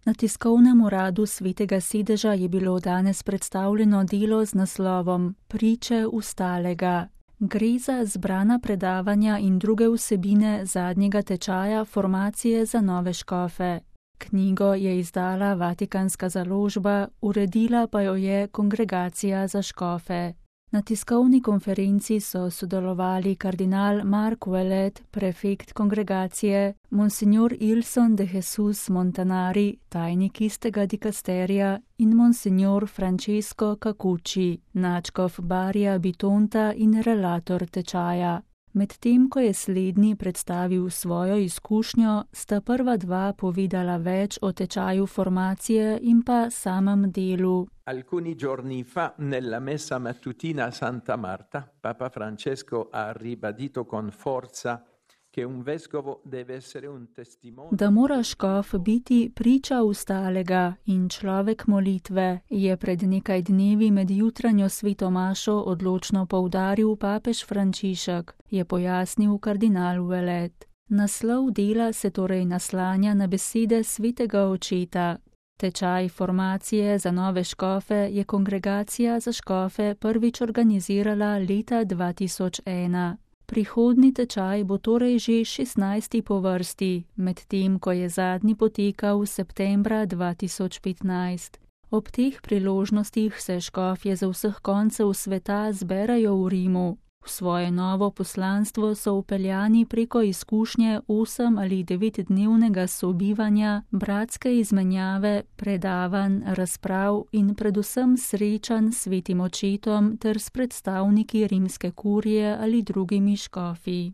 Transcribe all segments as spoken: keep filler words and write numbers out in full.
Na tiskovnem uradu Svetega sedeža je bilo danes predstavljeno delo z naslovom Priče ustalega. Gre za zbrana predavanja in druge vsebine zadnjega tečaja formacije za nove škofe. Knjigo je izdala Vatikanska založba, uredila pa jo je Kongregacija za škofe. Na tiskovni konferenci so sodelovali kardinal Mark Ouellet, prefekt kongregacije, monsignor Ilson de Jesus Montanari, tajnik istega dikasterija, in monsignor Francesco Cacucci, nadškof Barija Bitonta in relator tečaja. Medtem ko je slednji predstavil svojo izkušnjo, sta prva dva povedala več o tečaju formacije in pa samem delu. Alcuni giorni fa, nella messa mattutina a Santa Marta, Papa Francesco ha ribadito con forza che un vescovo deve essere un testimone. Da mora škof biti priča ustalega in človek molitve, je pred nekaj dnevi med jutranjo svetomašo odločno poudaril papež Frančišek, je pojasnil kardinal Ouellet. Naslov dela se torej naslanja na besede svetega očeta. Tečaj formacije za nove škofe je Kongregacija za škofe prvič organizirala leta dva tisoč ena. Prihodnji tečaj bo torej že šestnajsti po vrsti, medtem ko je zadnji potekal septembra dva tisoč petnajst. Ob teh priložnostih se škofje z vseh koncev sveta zberajo v Rimu. V svoje novo poslanstvo so vpeljani preko izkušnje osem ali devetdnevnega sobivanja, bratske izmenjave, predavanj, razprav in predvsem srečanj s svetim očetom ter s predstavniki rimske kurije ali drugimi škofi.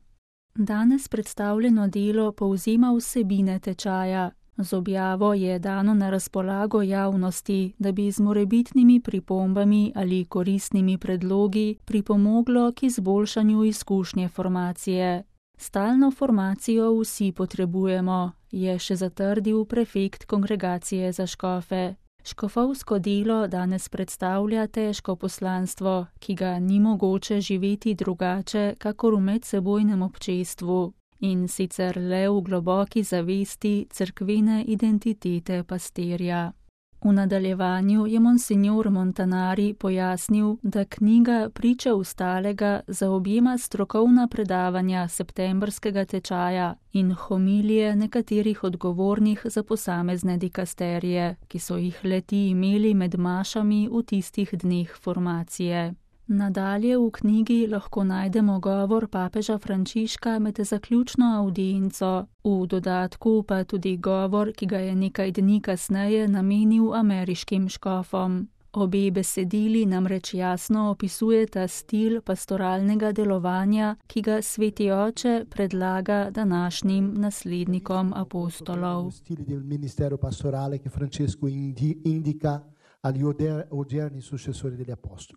Danes predstavljeno delo povzema vsebine tečaja. Z objavo je dano na razpolago javnosti, da bi z morebitnimi pripombami ali koristnimi predlogi pripomoglo k izboljšanju izkušnje formacije. Stalno formacijo vsi potrebujemo, je še zatrdil prefekt Kongregacije za škofe. Škofovsko delo danes predstavlja težko poslanstvo, ki ga ni mogoče živeti drugače, kakor v medsebojnem občestvu. In sicer le v globoki zavesti cerkvene identitete pastirja. V nadaljevanju je monsignor Montanari pojasnil, da knjiga Priče ustalega zaobjema strokovna predavanja septembrskega tečaja in homilije nekaterih odgovornih za posamezne dikasterije, ki so jih le-ti imeli med mašami v tistih dneh formacije. Nadalje v knjigi lahko najdemo govor papeža Frančiška med zaključno avdienco, v dodatku pa tudi govor, ki ga je nekaj dni kasneje namenil ameriškim škofom. Obe besedili namreč jasno opisujeta stil pastoralnega delovanja, ki ga sveti oče predlaga današnjim naslednikom apostolov. Stil del ministero pastorale, ki Francesco indica agli odierni successori degli apostoli.